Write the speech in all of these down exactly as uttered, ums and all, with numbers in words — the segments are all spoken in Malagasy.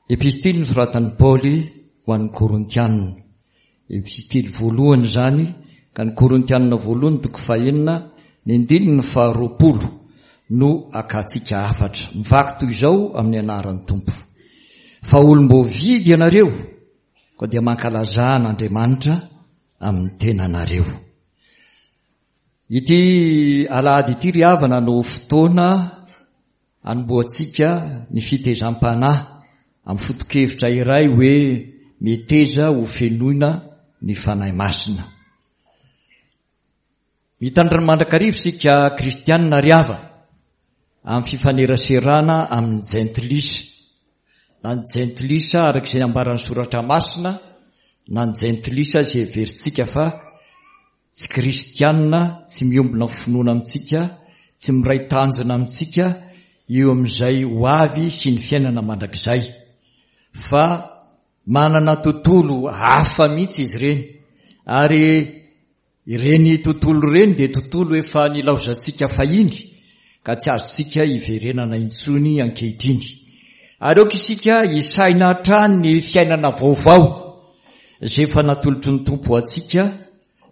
Epistily nosoratan'i Paoly ho an'ny Korintianina. Epistily voalohany izany, ka ny Korintianina voalohany toko fahenina, ny andininy faharoapolo no akantsika hafatra. Mivaky toy izao amin'ny anaran'ny Tompo. Fa olom-boavidy ianareo, koa dia mankalazà an'Andriamanitra amin'ny tenanareo. Ity alahady ity ry havana no fotoana anombohantsika ny fitezam-panahy amin'ny foto-kevitra iray hoe meteza ho fenoina ny Fanahy Masina. Mitandrina mandrakariva isika kristianina ry havana amin'ny fifaneraserana amin'ny jentilisa, na ny jentilisa araka izay nambaran'ny Soratra Masina, na ny jentilisa izay heverintsika fa tsy kristianina, tsy miombona finoana amintsika, tsy miray tanjona amintsika eo amin'izay ho avy sy ny fiainana mandrakizay, fa manana tontolo hafa mihitsy izy ireny, ary ireny tontolo ireny dia tontolo efa nilaozantsika fahiny ka tsy azontsika hiverenana intsony ankehitriny. Ary aoka isika hisaina hatrany ny fiainana vaovao izay efa natolotry ny Tompo ho antsika,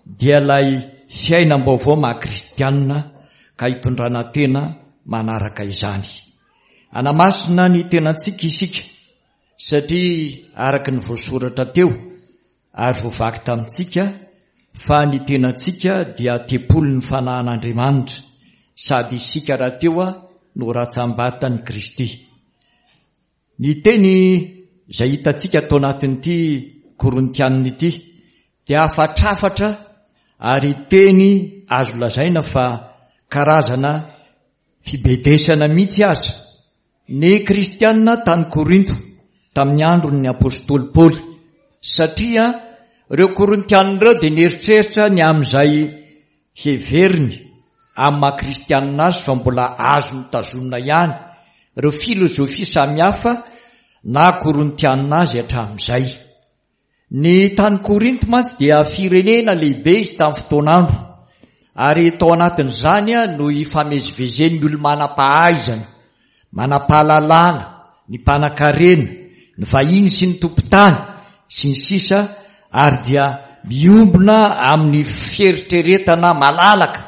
dia ilay fiainam-baovao maha kristianina ka hitondrana tena manaraka izany. Hanamasina ny tenantsika isika satria araka ny voasoratra teo ary voavaky tamintsika fa ny tenantsika dia tempolin'ny fanahin'Andriamanitra, sady isika rahateo no ratsambatan'i Kristy. Ny teny izay hitantsika tao anatin'ity Korintianina ity dia hafatrafatra ary teny azo lazaina fa karazana fibedesana mihitsy aza ny kristianina tany Korinto tamin'ny andron'ny apostoly Paoly, satria ireo Korintianina ireo dia nieritreritra ny amin'izay heveriny amin'ny maha kristianina azy fa mbola azony tazomina ihany ireo filozofia samihafa na Korintianina azy hatramin'izay. Ny tany Korinto mantsy dia firenena lehibe izy tamin'ny fotoan'andro, ary tao anatin'izany no ifamezivezen'ny olo manam-pahaizana, manam-pahalalana, ny mpanan-karena, ny vahiny sy ny tompon-tany sy ny sisa, ary dia miombona amin'ny fieritreretana malalaka,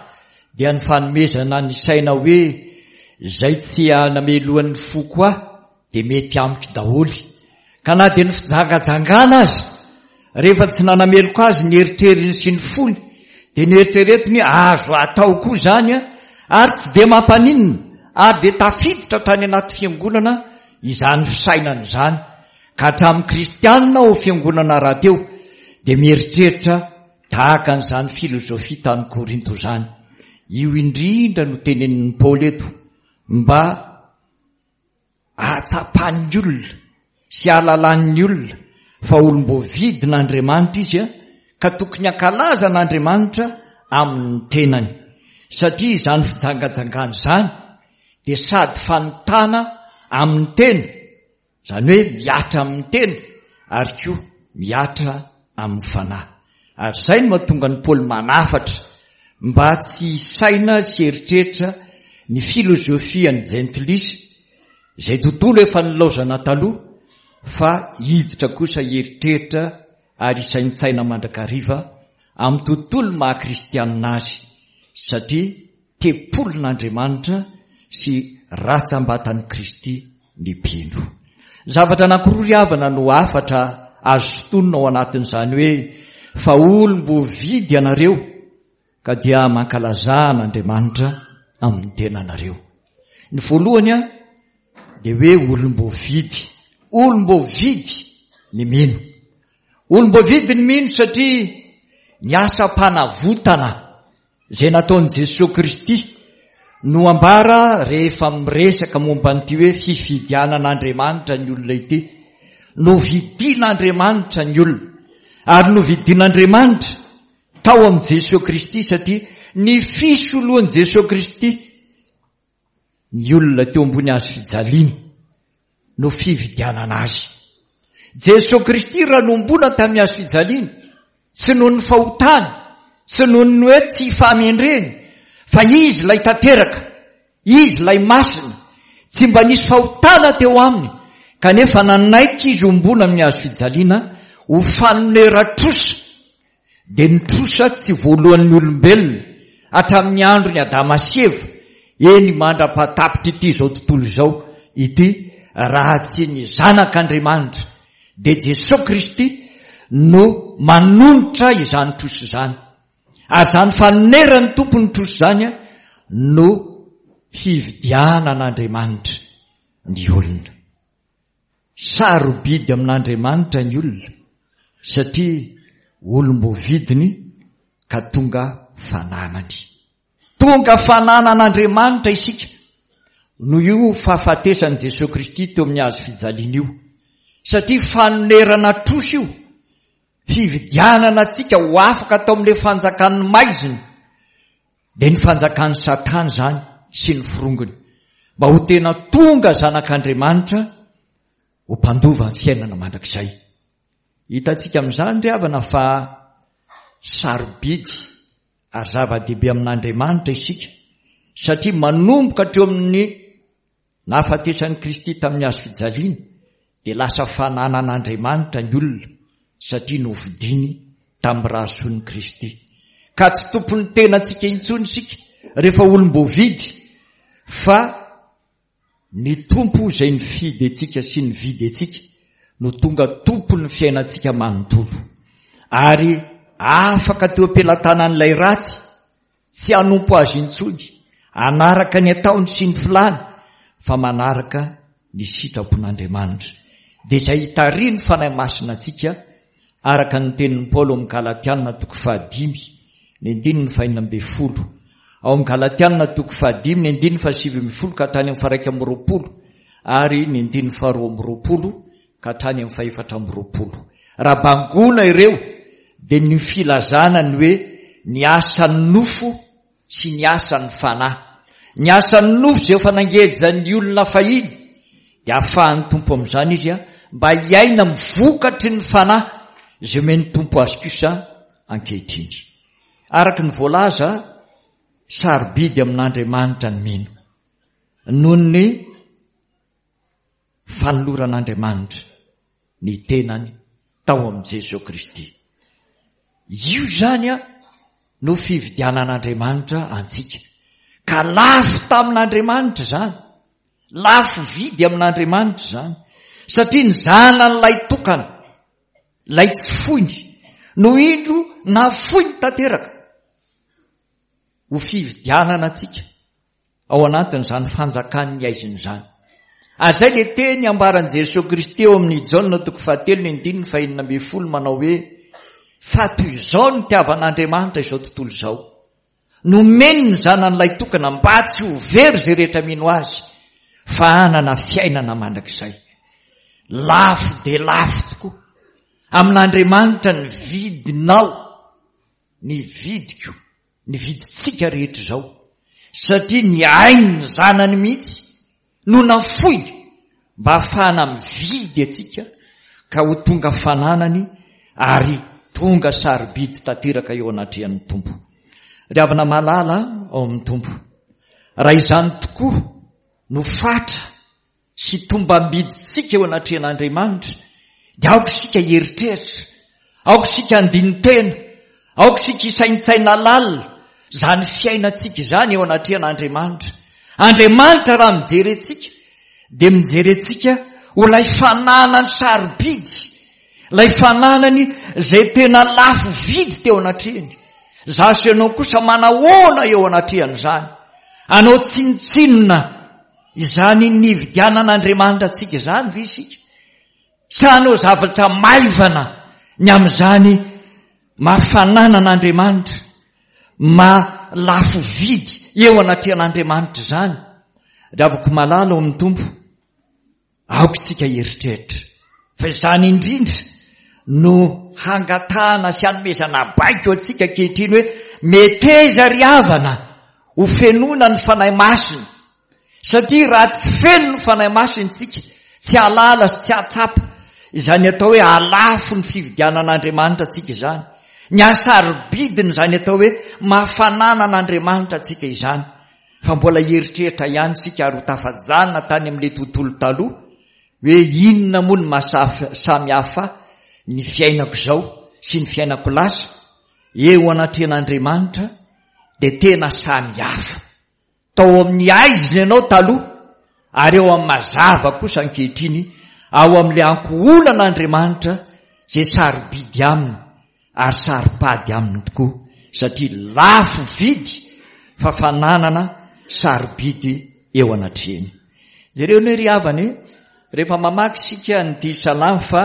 dia ny fanomezana ny saina hoe izay tsy namelohan'ny foko ahy dia mety amiko daholo. Ka na dia ny fijangajangana aza, rehefa tsy nanameloka azy ny eritreriny sy ny fony, dia ny eritreretiny azo atao koa izany, ary tsy dia mampaninona, ary dia tafiditra tany anaty fiangonana izany fisainana izany. Ka hatramin'ny kristianina ao fiangonana rahateo dia mieritreritra tahaka an'izany filozofia tany Korinto izany. Io indrindra no tenenin'i Paoly eto mba ahatsapan'ny olona sy ahalalan'ny olona fa olom-boavidin'Andriamanitra izy ka tokony hankalaza an'Andriamanitra amin'ny tenany, satria izany fijangajangana izany dia sady fanontana amin'ny tena, izany hoe mihatra amin'ny tena, ary koa mihatra amin'ny fanahy. Ary izay no mahatonga an'i Paoly manafatra mba tsy hisaina sy eritreritra ny filozofian'ny jentilisa izay tontolo efa nilaozana taloha, fa hiditra kosa hieritreritra ary hisaintsaina mandrakariva amin'ny tontolo maha kristianina azy, satria tempolin'Andriamanitra sy ratsambatan'i Kristy ny mpino. Zavatra anankiroa ry havana no hafatra azo sintonina ao anatin'izany hoe fa olom-boavidy ianareo ka dia mankalazà an'Andriamanitra amin'ny tenanareo. Ny voalohany dia hoe olom-boavidy. Olom-boavidy ny mino. Olom-boavidy ny mino satria ny asam-panavotana izay nataon'i Jesoa Kristy no ambara rehefa miresaka momba an'ity hoe fifidianan'Andriamanitra ny olona ity. Novidian'Andriamanitra ny olona, ary novidian'Andriamanitra tao amin'i Jesoa Kristy, satria ny fisoloan'i Jesoa Kristy ny olona teo ambony hazo fijaliana no fividianana azy. Jesoa Kristy raha nombona tamin'ny hazo fijaliana, tsy noho ny fahotany, tsy noho ny hoe tsy fahamendreny, fa izy ilay tanteraka, izy ilay masina, tsy mba nisy fahotana teo aminy, Kanefa nanaiky izy hombona amin'ny hazo fijaliana ho fanoneran-trosa, dia ny trosa tsy voalohan'ny olombelona hatramin'ny andron'i Adama sy Eva, eny mandra-pahatapitr'ity izao tontolo izao ity, raha tsy ny Zanak'Andriamanitra, dia Jesoa Kristy no manonitra izany trosa izany. Ary izany fanoneran'ny Tompo ny trosa izany no fividianan'Andriamanitra ny olona. Sarobidy amin'Andriamanitra ny olona satria olom-boavidiny ka tonga fananany. Tonga fananan'Andriamanitra isika noho io fahafatesan'i Jesoa Kristy teo amin'ny hazo fijaliana io, satria fanonerana trosa io, fividianana antsika ho afaka tao amin'ilay fanjakan'ny maizina, dia ny fanjakan'i Satana izany sy ny forongony, mba ho tena tonga zanak'Andriamanitra ho mpandova ny fiainana mandrakizay. Hitantsika amin'izany ry havana fa sarobidy ary zava-dehibe amin'Andriamanitra isika, satria manomboka hatreo amin'ny nahafatesan'i Kristy tamin'ny hazo fijaliana dia lasa fananan'Andriamanitra ny olona satria novidiny tamin'ny rà-son'i Kristy. Ka tsy tompon'ny tenantsika intsony isika rehefa olom-boavidy, fa ny Tompo izay nifidy antsika sy nividy antsika no tonga tompon'ny fiainantsika manontolo. Ary afaka teo am-pelatanan'ilay ratsy tsy hanompo azy intsony, hanaraka ny ataony sy ny filany, fa manaraka ny sitrapon'Andriamanitra. Dia izay hitarihin'ny Fanahy Masina antsika, araka ny tenin'i Paoly ao amin'ny Galatiana toko fahadimy, ny andininy fahenina ambin'ny folo. Ao amin'ny Galatiana toko fahadimy, ny andininy fahasivy ambin'ny folo ka hatrany amin'ny faharaika amby roapolo, ary ny andininy faharoa amby roapolo ka hatrany amin'ny fahefatra amby roapolo. Raha bangoina ireo, dia ny filazana ny hoe ny asan'ny nofo sy ny asan'ny fanahy. Ny asan'ny nofo izay efa nangejan'ny olona fahiny, dia ahafahan'ny Tompo amin'izany izy mba hiaina amin'ny vokatry ny fanahy izay omen'ny Tompo azy kosa ankehitriny. Araka ny voalaza, sarobidy amin'Andriamanitra ny mino noho ny fanoloran'Andriamanitra ny tenany tao amin'i Jesoa Kristy. Io izany no fividianan'Andriamanitra antsika. Ka lafo tamin'Andriamanitra izany, lafo vidy amin'Andriamanitra izany, satria ny zanan'ilay tokana, ilay tsy foiny, no indro nafoiny tanteraka ho fividianana antsika ao anatin'izany fanjakan'ny aizina izany. Ary izay ilay teny ambaran'i Jesoa Kristy eo amin'ny Jaona toko fahatelo ny andininy fahenina ambin'ny folo manao hoe: fa toy izao no nitiavan'Andriamanitra izao tontolo izao, nomeny ny zanan'ilay tokana mba tsy ho very izay rehetra mino azy, fa hanana fiainana mandrakizay. Lafo dia lafo tokoa amin'Andriamanitra ny vidinao, ny vidiko, ny vidintsika rehetra izao, satria ny ain'ny zanany mihitsy no nafoiny mba hahafahana mividy antsika ka ho tonga fananany ary tonga sarobidy tanteraka eo anatrehan'ny Tompo. Ry havana malala ao amin'ny Tompo, raha izany tokoa no fatra sy tombam-bidintsika eo anatrehan'Andriamanitra, dia aoka isika hieritreritra, aoka isika handini-tena, aoka isika hisaintsaina lalina izany fiainantsika izany eo anatrehan'Andriamanitra. Andriamanitra raha mijery antsika dia mijery antsika ho ilay fananany sarobidy, ilay fananany izay tena lafo vidy teo anatrehany. Izaho sy ianao kosa manahoana eo anatrehan'izany? Hanao tsinontsinona izany nividianan'Andriamanitra antsika izany ve isika? Sa hanao zavatra maivana ny amin'izany maha-fananan'Andriamanitra, maha lafo vidy eo anatrehan'Andriamanitra izany? Ry havako malala ao amin'ny Tompo, aoka isika hieritreritra fa izany indrindra no hangatahana sy hanomezana baiko antsika ankehitriny hoe meteza ry havana ho fenoina ny Fanahy Masina, satria raha tsy feno ny Fanahy Masina isika, tsy hahalala sy tsy hahatsapa izany atao hoe halafo ny fividianan'Andriamanitra antsika izany, ny hasarobidiny izany atao hoe mahafananan'Andriamanitra antsika izany, fa mbola hieritreritra ihany isika ary ho tafajanona tany amin'ilay tontolo taloha hoe inona moa ny maha samy hafa ny fiainako izao sy ny fiainako lasa eo anatrehan'Andriamanitra, dia tena samy hafa. Tao amin'ny aizina ianao taloha, ary eo amin'ny mazava kosa ankehitriny, ao amin'ilay ankohonan'Andriamanitra izay sarobidy aminy ary saropady aminy tokoa, satria lafo vidy fa fananana sarobidy eo anatrehany. Jereo ny ry havana, rehefa mamaky isika an'ity salamo fa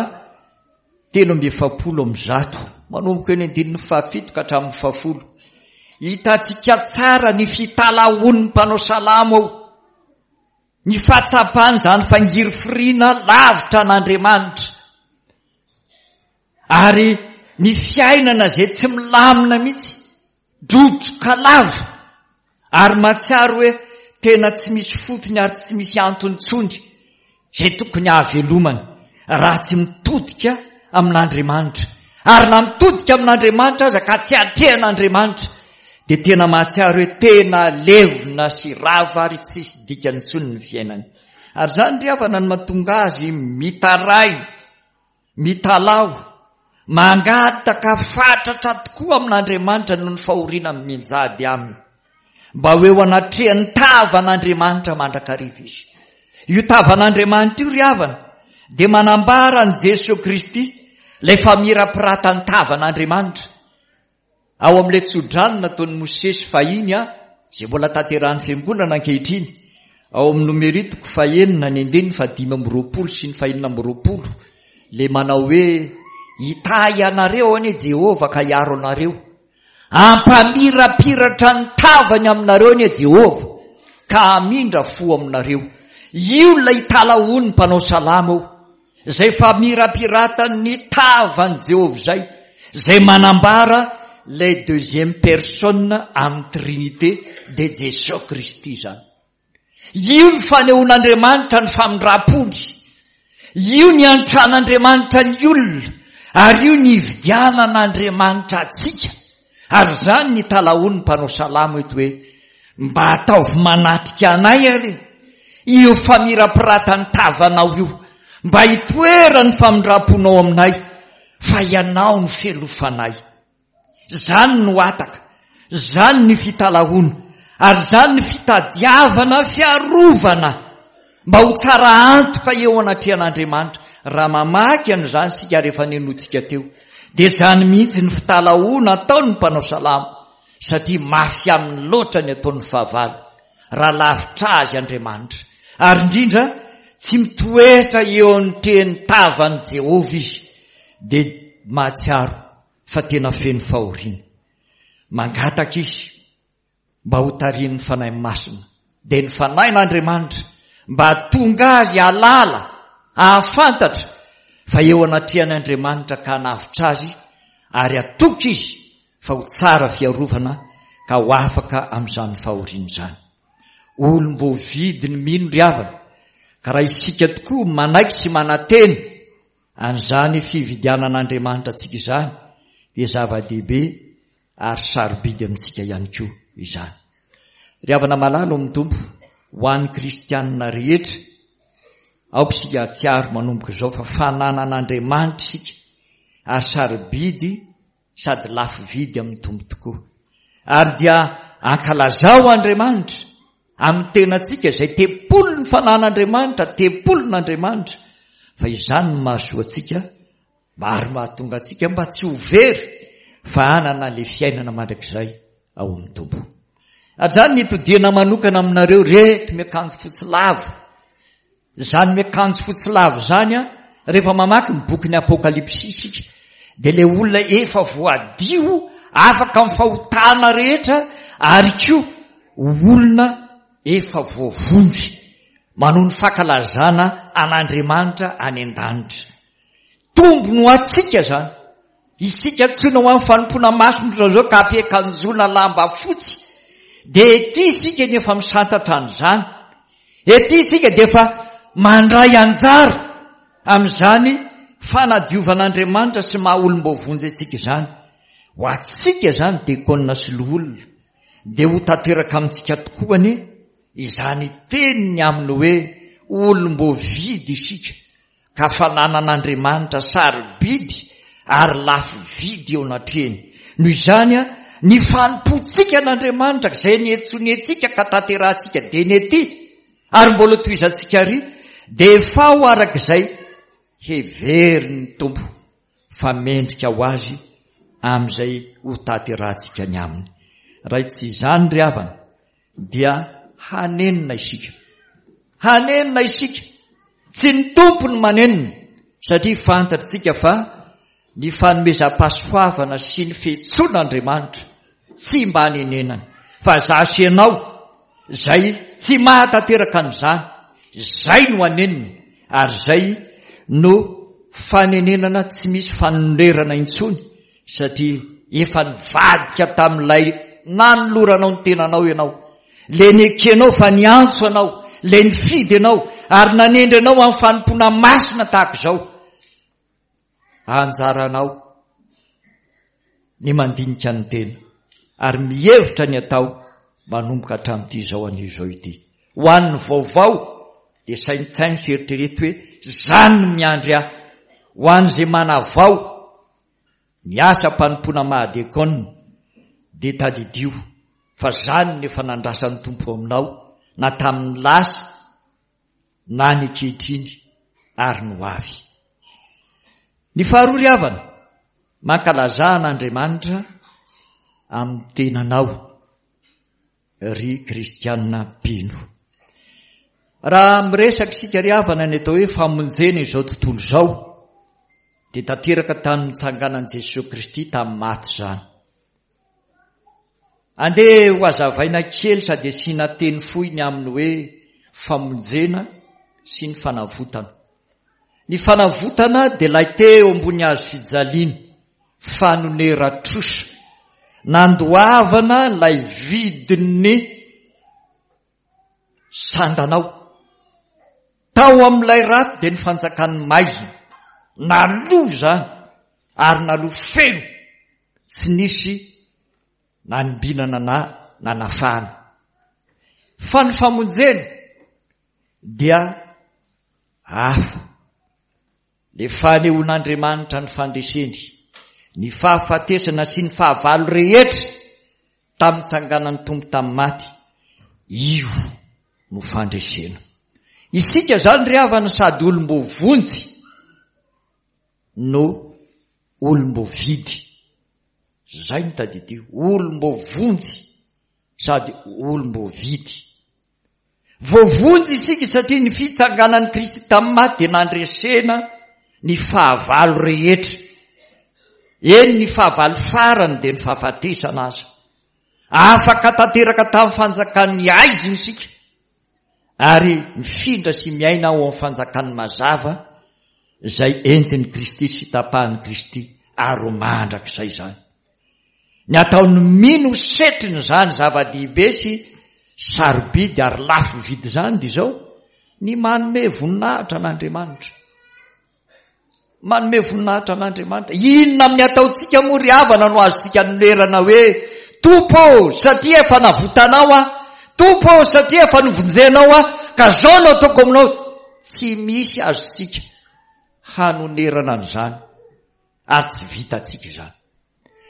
telo amby efapolo amby zato, manomboka eny andininy fahafito ka hatramin'ny fahafolo, hitantsika tsara ny fitalahoan'ny mpanao salamo ao, ny fahatsapany izany fangirifiriana lavitra an'Andriamanitra, ary ny fiainana izay tsy milamina mihitsy, drodroka lava, ary mahatsiaro hoe tena tsy misy fotony ary tsy misy antony intsony izay tokony hahavelomana raha tsy mitodika amin'Andriamanitra. Ary na mitodika amin'Andriamanitra aza ka tsy atrehan'Andriamanitra, dia tena mahatsiaro hoe tena levona sy rava ary tsisy dikany intsony ny fiainany. Ary izany ry havana no mahatonga azy mitaraina, mitalaho, mangataka fatratra tokoa amin'Andriamanitra noho ny fahoriana mianjady aminy, mba ho eo anatrehan'ny tavan'Andriamanitra mandrakariva izy. Io tavan'Andriamanitra io ry havana dia manambara an'i Jesoa Kristy, ilay famirapiratan'ny tavan'Andriamanitra. Ao amin'ilay tsodrano nataon'i Mosesy fahiny, izay mbola tanterahan'ny fiangonana ankehitriny, ao amin'ny Nomery toko fahenina ny andininy fahadimy amby roapolo sy ny fahenina amby roapolo, ilay manao hoe hitahy anareo anie Jehovah ka hiaro anareo, hampamirapiratra ny tavany aminareo anie Jehovah ka hamindra fo aminareo. Io ilay talahoan'ny mpanao salamo ao, izay famirapiratan'ny tavan'i Jehovah izay, izay manambara les deuxième personne amin'ny Trinité de Jesosy Kristy izany. Io ny fanehoan'Andriamanitra ny famindrampony, io ny antran'Andriamanitra ny olona, ary io ny ividianan'Andriamanitra antsika. Ary izany ny talahoan'ny mpanao salamo eto hoe mba ataovy manatrika anay ary io famirapiratan'ny tavanao io, mba hitoeran'ny famindramponao aminay, fa ianao no fialofanay. Izany no hataka, izany ny fitalahoana, ary izany ny fitadiavana fiarovana mba ho tsara antoka eo anatrehan'Andriamanitra. Raha mamaky an'izany isika rehefa nenotsika teo, dia izany mihitsy ny fitalahoana ataon'ny mpanao salamo, satria mafy aminy loatra ny ataon'ny fahavalo raha lavitra azy Andriamanitra. Ary indrindra tsy mitoetra eo amin'ny teny tavan'i Jehovah izy, dia mahatsiaro fa tena feno fahoriana. Mangataka izy mba ho tarihin'ny Fanahy Masina, dia ny Fanahin'Andriamanitra mba tonga azy hahalala, hahafantatra fa eo anatrehan'Andriamanitra ka hanavotra azy, ary hatoky izy fa ho tsara fiarovana ka ho afaka amin'izany fahoriana izany. Olom-boavidy ny mino ry havana, ka raha isika tokoa manaiky sy manantena an'izany fividianan'Andriamanitra antsika izany, dia zava-dehibe ary sarobidy amintsika ihany koa izany. Ry havana malala amin'ny Tompo, ho an'ny kristianina rehetra, aoka isika hahatsiaro manomboka izao fa fananan'Andriamanitra isika ary sarobidy sady lafo vidy amin'ny Tompo tokoa. Ary dia ankalazao Andriamanitra amin'ny tenantsika izay tempolin'ny fananan'Andriamanitra, tempolin'Andriamanitra, fa izany no mahasoa antsika ary mahatonga antsika mba tsy ho very fa hanana ilay fiainana mandrakizay ao amin'ny Tompo. Ary izany ny itodiana manokana aminareo reto miakanjo fotsy lava. Izany miakanjo fotsy lava izany, rehefa mamaky ny bokin'ny Apokalypsy isika, dia ilay olona efa voadio afaka amin'ny fahotana rehetra, ary koa olona efa voavonjy manoho ny fankalazana an'Andriamanitra any an-danitra. Tombony ho antsika izany. Isika antsoina ho amin'ny fanompoana masina ohatran'izao ka ampiakanjoana lamba fotsy, dia ety isika nefa misantatra an'izany. Ety isika dia efa mandray anjara amin'izany fanadiovan'Andriamanitra sy maha olom-boavonjy antsika izany. Ho antsika izany diakona sy loholona, dia ho tanteraka amintsika tokoa anie izany teniny aminy hoe olom-boavidy isika ka fananan'Andriamanitra sarobidy ary lafo vidy eo anatrehany. Noho izany, ny fanompoantsika an'Andriamanitra izay niantsoniantsika ka tanterahantsika dieny ety ary mbola tohizantsika ary dia efa ho araka izay heverin'ny Tompo fa mendrika ho azy amin'izay ho tanterahantsika ny aminy. Raha tsy izany ry havana dia hanenina isika. Hanenina isika. Tsy ny Tompo no manenina satria fantatritsika fa ny fanomezam-pahasoavana sy ny fiantsoan'Andriamanitra tsy mba hanenenany, fa za sy ianao izay tsy mahatanteraka an'izany, izay no hanenina, ary izay no fanenenana tsy misy fanonerana intsony, satria efa nivadika tamin'ilay nanoloranao ny tenanao ianao, le nekenao fa niantso anao, le nifidy anao ary nanendry anao amin'ny fanompoana masina tahaka izao. Anjaranao ny mandinika ny tena ary mihevitra ny atao manomboka hatramin'ity izao anio izao ity. Ho an'ny vaovao dia saintsaino sy eritrereto hoe zany no miandry ahy. Ho an'izay manavao ny asam-panompoana maha-diakona dia tadidio fa zany no efa nandrasan'ny Tompo aminao na tamin'ny lasa na ny ankehitriny ary ny ho avy. Ny faharoa ry havana, mankalazà an'Andriamanitra amin'ny tenanao ry kristianina mpino. Raha miresaka isika ry havana ny atao hoe famonjena izao tontolo izao dia tanteraka tamin'ny nitsanganan'i Jesoa Kristy tamin'ny maty izany. Andeha ho hazavaina kely sady asiana teny fohy ny amin'ny hoe famonjena sy ny fanavotana. Ny fanavotana dia ilay teo ambony hazo fijaliana, fanonera-trosa, nandoavana ilay vidin'ny sandanao. Tao amin'ilay ratsy dia ny fanjakan'ny maizina, naloa izany ary naloa feno, tsy nisy nanimbinana na nanafahana. Fa ny famonjena dia hafa. Le fanehoan'Andriamanitra ny fandreseny, ny fahafatesana sy ny fahavalo rehetra tamin'ny tsanganan'ny Tompo tamin'ny maty, io no fandresena. Isika zany ry havana sady olom-boavonjy no olom-boavidy. Zay no tadidio, olom-boavonjy sady olom-boavidy. Voavonjy isika satria ny fitsanganan'i Kristy tamin'ny maty dia nandresena ny fahavalo rehetra. Eny, ny fahavalo farany dia ny fahafatesana aza. Afaka tanteraka tamin'ny fanjakan'ny haizina isika ary mifindra sy miaina ao amin'ny fanjakan'ny mazava izay entin'i Kristy sy tapahan'i Kristy ary ho mandrakizay izany. Ny ataon'ny mino setriny izany zava-dehibe sy sarobidy ary lafo vidy izany dia izao, ny manome voninahitra an'Andriamanitra. Manome voninahitra an'Andriamanitra. Inona amin'ny ataontsika moa ry havana no azontsika anonerana hoe Tompo satria efa navotanao aho, Tompo satria efa novonjenao aho, ka zao no ataoko aminao. Tsy misy azontsika hanonerana an'izany ary tsy vitantsika izany.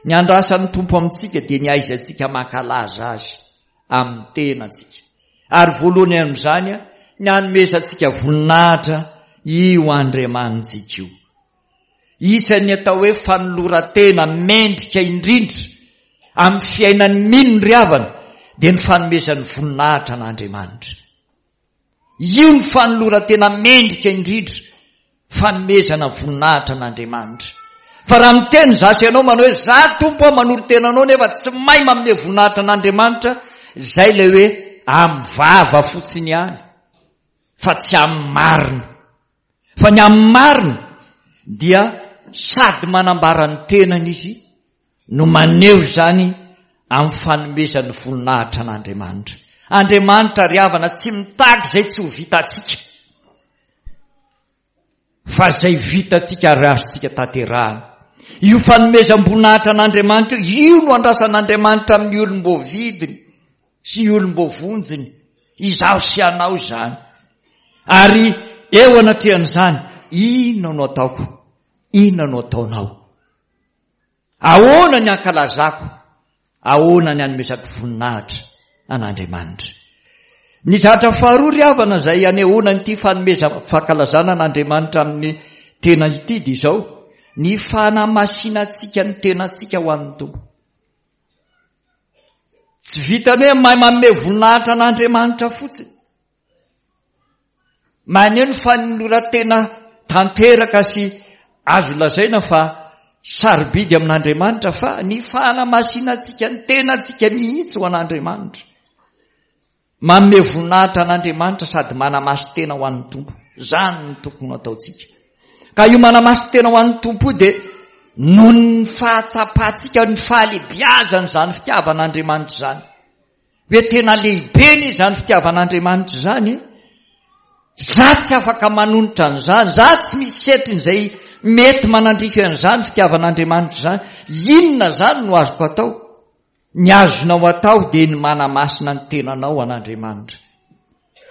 Ny andrasan'ny Tompo amintsika dia ny ahaizantsika mankalaza azy amin'ny tenantsika. Ary voalohany amin'izany ny hanomezantsika voninahitra io Andriamanitsika io. Isan'ny atao hoe fanoloran-tena mendrika indrindra amin'ny fiainan'ny mino ry havana dia ny fanomezan'ny voninahitra an'Andriamanitra. Io ny fanoloran-tena mendrika indrindra, fanomezana voninahitra an'Andriamanitra. Fa raha miteny za sy ianao manao hoe za Tompo aho manolo-tena anao nefa tsy mahay manome voninahitra an'Andriamanitra, zay ilay hoe amin'ny vava fotsiny ihany fa tsy amin'ny marina. Fa ny amin'ny marina dia sady manambara ny tenany izy no maneho izany amin'ny fanomezany voninahitra an'Andriamanitra. Andriamanitra ry havana tsy mitaky izay tsy ho vitantsika, fa izay vitantsika ary azontsika tanterahana. Io fanomezam-boninahitra an'Andriamanitra io, io no andrasan'Andriamanitra amin'ny olom-boavidiny sy olom-boavonjiny, izaho sy ianao izany. Ary eo anatrehan'izany, Inona no ataoko? Inona no ataonao? Ahoana ny ankalazako? Ahoana ny anomezako voninahitra an'Andriamanitra? Ny zavatra faharoa ry havana izay anehoana an'ity fanomezana fankalazana an'Andriamanitra amin'ny tena ity dia izao, ny fanamasinantsika ny tenantsika ho an'ny Tompo. Tsy vitan'ny hoe mahay manome voninahitra an'Andriamanitra fotsiny. Maneho ny fanoloran-tena tanteraka sy azo lazaina fa sarobidy amin'Andriamanitra fa ny fanamasinantsika ny tenantsika mihitsy ho an'Andriamanitra. Manome voninahitra an'Andriamanitra sady manamasin-tena ho an'ny Tompo. Izany no tokony ho ataontsika. Ka io manamasin-tena ho an'ny Tompo io dia noho ny fahatsapantsika ny fahalehibiazan'izany fitiavan'Andriamanitra izany. Hoe tena lehibe anie izany fitiavan'Andriamanitra izany e. Za tsy afaka manonitra an'izany, za tsy misy setriny izay mety manandrify an'izany fitiavan'Andriamanitra izany. Inona izany no azoko atao? Ny azonao atao dia ny manamasina ny tenanao an'Andriamanitra.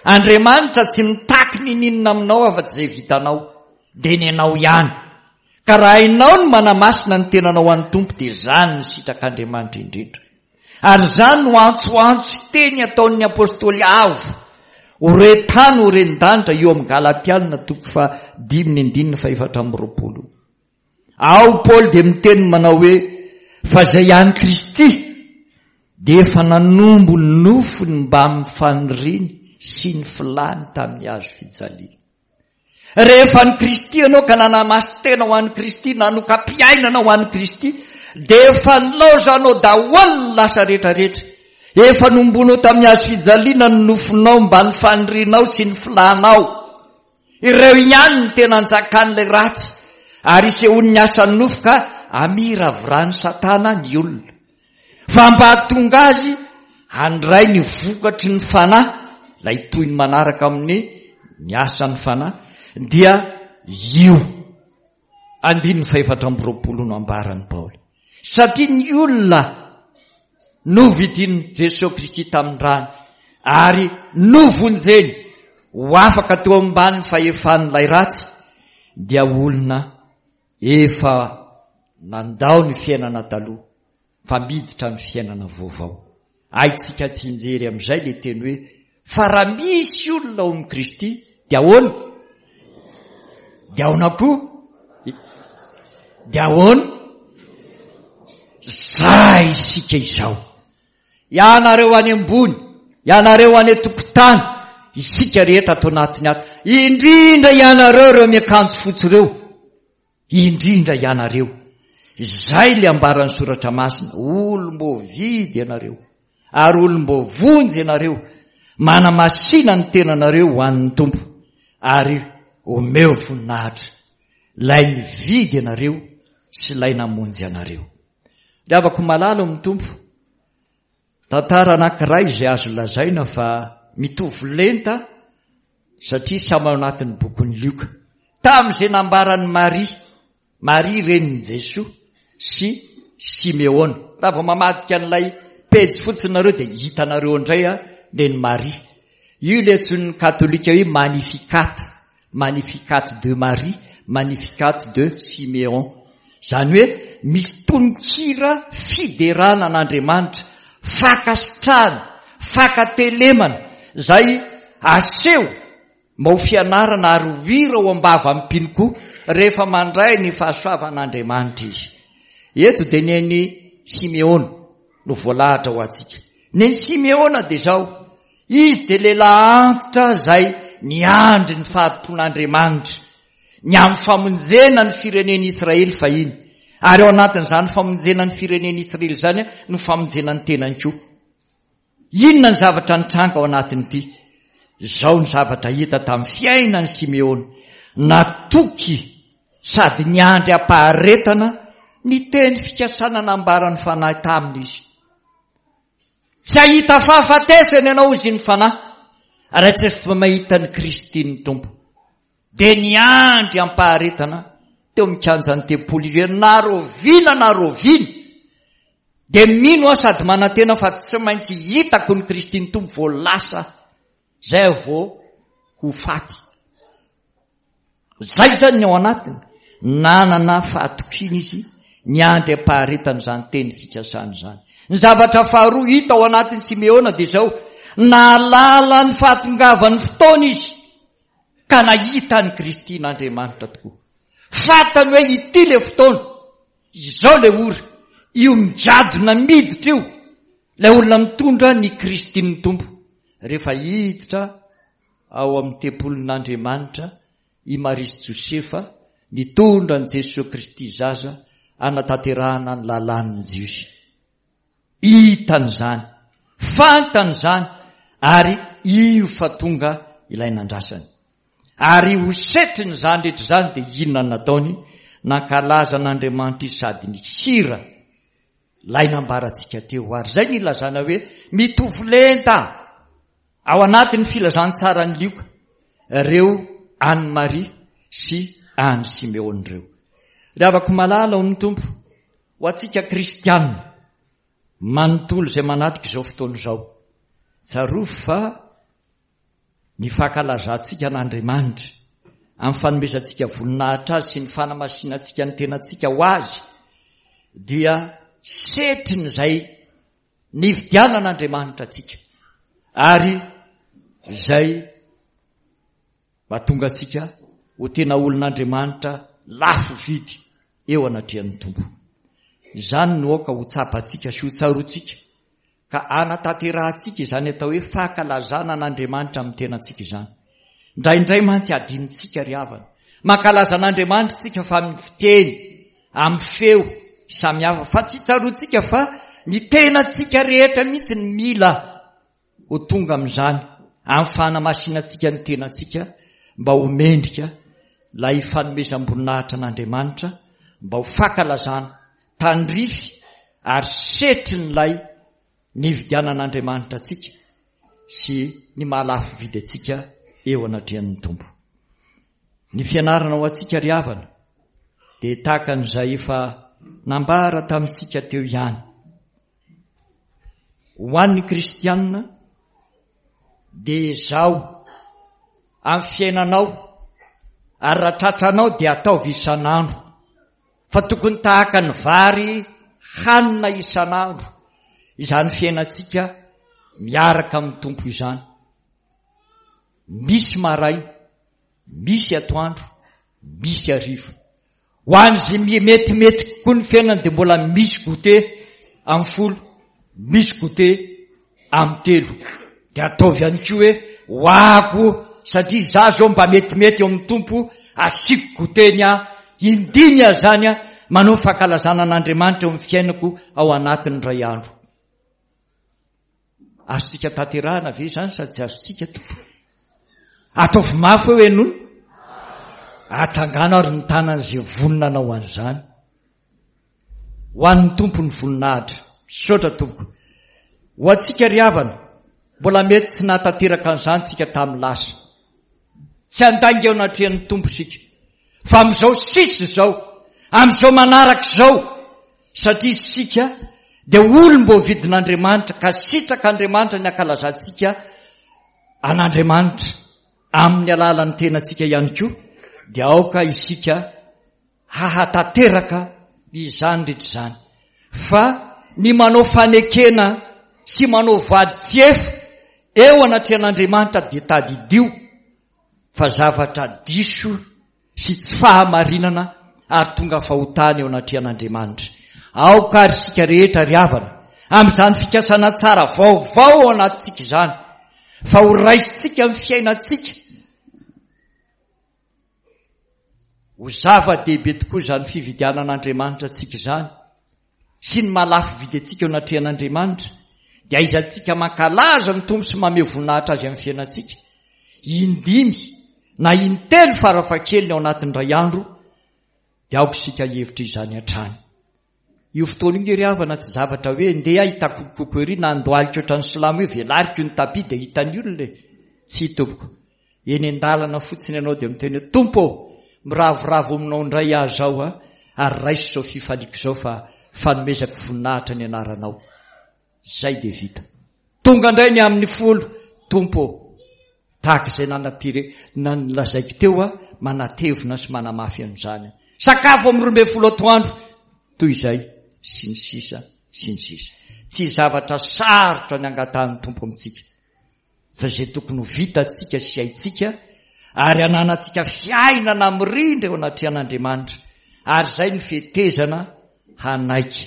Andriamanitra tsy mitaky n'ininona aminao afa-tsy izay vitanao, dia ny anao ihany. Ka raha hainao ny manamasina ny tenanao an'ny Tompo dia izany ny sitrak'Andriamanitra indrindra. Ary izany no antsoantso sy teny ataon'ny Apostoly avo ho re tany ho ren-danitra eo amin'ny Galatiana toko fahadimy ny andininy fahefatra amby roapolo. Ao Paoly dia miteny manao hoe fa izay an'i Kristy dia efa nanombo ny nofony mbamin'ny faniriany sy ny filany tamin'ny hazo fijaliana. Rehefa an'i Kristy ianao ka nanamasin-tena ho an'i Kristy, nanoka-piainana ho an'i Kristy, dia efa nilaozanao daholo ny lasa rehetrarehetra. Efa nombonao tamin'ny hazo fijaliana ny nofonao mba ny fanirianao sy ny filanao. Ireo ihany no tena anjakan'ilay ratsy ary isehoan'ny asan'ny nofo ka amiraviran'i Satana ny olona. Fa mba hahatonga azy handray ny vokatry ny fanahy, ilay toy ny manaraka amin'ny ny asan'ny fanahy, dia io andininy fahefatra amby roapolo no ambaran'i Paoly. Satria ny olona novidin'i Jesoa Kristy tamin'ny rany ary novonjeny ho afaka teo ambany fahefan'ilay ratsy, dia olona efa nandao ny fiainana taloha fa miditra amin'ny fiainana vaovao. Haintsika tsinjery amin'izay ilay teny hoe fa raha misy olona ao amin'i Kristy dia ahoana? Dia ahoana koa? Dia ahoana? Zay isika izao. Ianareo any ambony, ianareo any an-tokotany, isika rehetra ato anatiny ato. Indrindra ianareo ireo miakanjo fotsy ireo. Indrindra ianareo. Izay ilay ambaran'ny soratra masina, olom-boavidy ianareo ary olom-boavonjy ianareo. Manamasina ny tenanareo ho an'ny Tompo ary omeo voninahitra ilay nividy anareo sy ilay namonjy anareo. Ry havako malala ao amin'ny Tompo, tantara anankiray izay azo lazaina fa mitovy lenta satria samy ao anatin'ny bokin'i Lioka. Tamin'izay nambaran'i Maria, Maria renin'i Jesoa sy Simeona. Raha vao mamadika an'ilay pejy fotsiny nareo dia hitanareo indray a neny Maria. Io ilay antsoin'ny katolika hoe Magnificat, Magnificat de Marie, Magnificat de Siméon. Izany hoe misy tononkira fiderana an'Andriamanitra, fankasitrahana, fankatelemana izay aseho mba ho fianarana ary ho hira ao am-bavan'ny mpino koa rehefa mandray ny fahasoavan'Andriamanitra izy. Eto dia neny Simeona no voalahatra ho antsika. Neny Simeona dia izao, izy dia lehilahy antitra izay niandry ny fahatompon'Andriamanitra, ny amin'ny famonjena ny firenen'Israely fahiny. Ary ao anatin'izany famonjena ny firenen'Israely izany no famonjena ny tenany koa. Inona ny zavatra nitranga ao anatin'ity? Izao ny zavatra hita tamin'ny fiainan'i Simeona, natoky sady niandry am-paharetana ny teny fikasana nambaran'ny Fanahy taminy izy. Tsy hahita fahafatesana ianao, hozy ny Fanahy, raha tsy efa mahita ny Kristy ny Tompo. Dia niandry am-paharetana teo amin'ny kianjan'ny tempoly izy hoe na rahoviana na rahoviana dia mino aho sady manantena fa tsy maintsy hitako ny Kristy ny Tompo vao lasa zay vao ho faty. Izay izany ny ao anatiny. Nanana fahatokiana izy niandry am-paharetana izany teny fikasana izany. Ny zavatra faharoa hita ao anatin'i Simeona dia izao, nahalala ny fahatongavan'ny fotoana izy ka nahita an'i Kristy n'Andriamanitra tokoa. Fantany hoe ity ilay fotoana, izao ilay ora, io migadona miditra io, ilay olona mitondra ny Kristin'ny Tompo. Rehefa hiditra ao amin'ny tempolin'Andriamanitra i Maria sy Josefa, nitondra an'i Jesoa Kristy zaza hanatanterahana ny lalàn'ny Jiosy. Hitany izany, fantany izany, ary io fa tonga ilay nandrasany. Ary ho setrin'izany rehetra izany dia inona no nataony? Nankalaza an'Andriamanitra izy sady nihira ilay nambarantsika teo. Ary izay no ilazana hoe mitovy lenta ao anatin'ny filazantsaran'i Lioka ireo an'i Maria sy an'i Simeona ireo. Ry havako malala ao amin'ny Tompo, ho antsika kristianina manontolo izay manatrika izao fotoana izao, tsarovy fa ny fankalazantsika an'Andriamanitra amin'ny fanomezantsika voninahitra Azy sy ny fanamasinantsika ny tenantsika ho Azy dia setrin'izay nividianan'Andriamanitra antsika ary izay mahatonga antsika ho tena olon'Andriamanitra lafo vidy eo anatrehan'ny Tompo. Izany no aoka ho tsapantsika sy ho tsaroantsika ka hanatanterahantsika izany atao hoe fankalazana an'Andriamanitra amin'ny tenantsika izany. Indraindray mantsy adinontsika ry havana. Mankalaza an'Andriamanitra isika fa amin'ny fiteny, amin'ny feo samihafa, fa tsy tsaroantsika fa ny tenantsika rehetra mihitsy ny mila ho tonga amin'izany, amin'ny fanamasinantsika ny tenantsika mba ho mendrika ilay fanomezam-boninahitra an'Andriamanitra, mba ho fankalazana tandrify ary setrin'ilay nividianan'Andriamanitra antsika sy ny maha-lafo vidy antsika eo anatrehan'ny Tompo. Ny fianarana ho antsika ry havana dia tahaka an'izay efa nambara tamintsika teo ihany. Ho an'ny kristianina dia ezaho amin'ny fiainanao ary raha tratranao dia ataovy isan'andro, fa tokony tahaka ny vary hanina isan'andro izany fiainantsika miaraka amin'ny Tompo izany. Misy maraina, misy atoandro, misy hariva. Ho an'izay metimety kokoa ny fiainany dia mbola misy goûter amin'ny folo, misy goûter amin'ny telo. Dia ataovy ihany koa hoe ho ako satria izaho izao mba metimety eo amin'ny Tompo, asiako goûter ny ahy, indimy aho izany aho manao fankalazana an'Andriamanitra eo amin'ny fiainako ao anatin'ny iray andro. Azontsika tanterahana ve izany sa tsy azontsika, Tompo? Ataovy mafy hoe henoina. Atsangano ary ny tanan'izay vonona hanao an'izany. Ho an'ny Tompo ny voninahitra. Misaotra Tompoko. Ho antsika ry havana, mbola mety tsy nahatanteraka an'izany tsika tamin'ny lasa. Tsy handainga eo anatrehan'ny Tompo isika. Fa amin'izao sisa izao, amin'izao manaraka izao, satria isika dia olom-boavidin'Andriamanitra ka sitrak'Andriamanitra ny hankalazantsika an'Andriamanitra amin'ny alalan'ny tenantsika ihany koa, dia aoka isika hahatanteraka izany rehetra izany. Fa ny manao fanekena sy manao vady tsy efa eo anatrehan'Andriamanitra dia tadidio fa zavatra diso sy tsy fahamarinana ary tonga fahotana eo anatrehan'Andriamanitra. Aoka ary isika rehetra ry havana, amin'izany fikasana tsara vaovao ao anatintsika izany, fa ho raisintsika amin'ny fiainantsika. Ho zava-dehibe tokoa izany fividianan'Andriamanitra antsika izany sy ny maha-lafo vidy antsika eo anatrehan'Andriamanitra, dia aizantsika mankalaza ny Tompo sy mamehy voninahitra Azy amin'ny fiainantsika. Indimy na intelo farafahakeliny ao anatin'ny iray andro, dia aoka isika hihevitra izany hatrany. Io fotoana io nge ry havana tsy zavatra hoe ndeha hitakokokoko ery na andohalika ohatran'ny silamo hoe velariko ny tapis dia hitan'ny olona e. Tsia tompoko. Eny an-dalana fotsiny ianao dia miteny hoe Tompo ô, miravoravo aminao indray aho izao a, ary raiso izao fifaliako izao fa fanomezako voninahitra ny anaranao. Izay dia vita. Tonga indray ny amin'ny folo, Tompo ô, tahaka izay nanatire, nolazaiko teo aho, manatevina sy manamafy an'izany. Sakafo amin'ny roa ambin'ny folo atoandro toy izay sy ny sisa sy ny sisa. Tsy zavatra sarotra ny angatahan'ny Tompo amintsika fa izay tokony ho vitantsika sy haintsika ary ananantsika fiainana mirindra eo anatrehan'Andriamanitra, ary izay ny fetezana hanaiky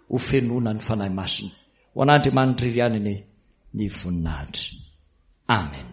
ho fenoina ny Fanahy Masina. Ho an'Andriamanitra irery ihany anie ny voninahitra. Amen.